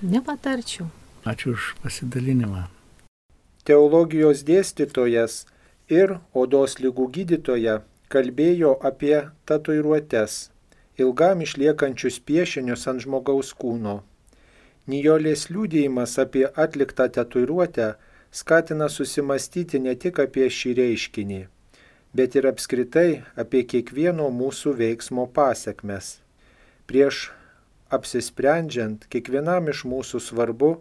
Nepatarčiau. Ačiū už pasidalinimą. Teologijos dėstytojas ir odos ligų gydytoja kalbėjo apie tatuiruotes, ilgam išliekančius piešinius ant žmogaus kūno. Nijolės liudijimas apie atliktą tatuiruotę skatina susimastyti ne tik apie šį reiškinį, bet ir apskritai apie kiekvieno mūsų veiksmo pasekmes. Prieš apsisprendžiant, kiekvienam iš mūsų svarbu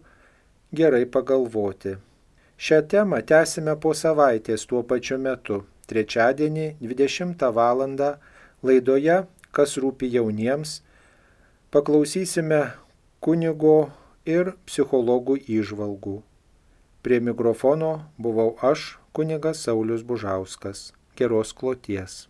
gerai pagalvoti. Šią temą tęsime po savaitės tuo pačiu metu, trečiadienį 20 val. Laidoje Kas rūpi jauniems, paklausysime kunigo ir psichologų įžvalgų. Prie mikrofono buvau aš, kunigas Saulius Bužauskas. Geros kloties.